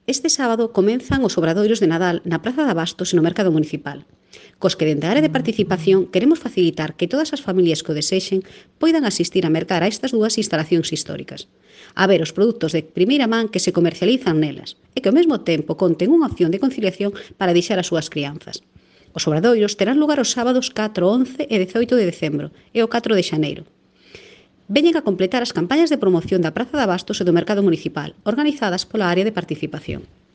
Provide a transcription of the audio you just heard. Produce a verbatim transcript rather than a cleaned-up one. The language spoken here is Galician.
Este sábado comenzan os obradoiros de Nadal na Praza de Abastos e no Mercado Municipal, cos que dende a área de participación queremos facilitar que todas as familias que o desexen poidan asistir a mercar a estas dúas instalacións históricas, a ver os produtos de primeira man que se comercializan nelas e que ao mesmo tempo conten unha opción de conciliación para deixar as súas crianzas. Os obradoiros terán lugar os sábados catro, once e dezaoito de decembro e o catro de xaneiro. Veñen a completar as campañas de promoción da Praza de Abastos e do Mercado Municipal, organizadas pola área de participación.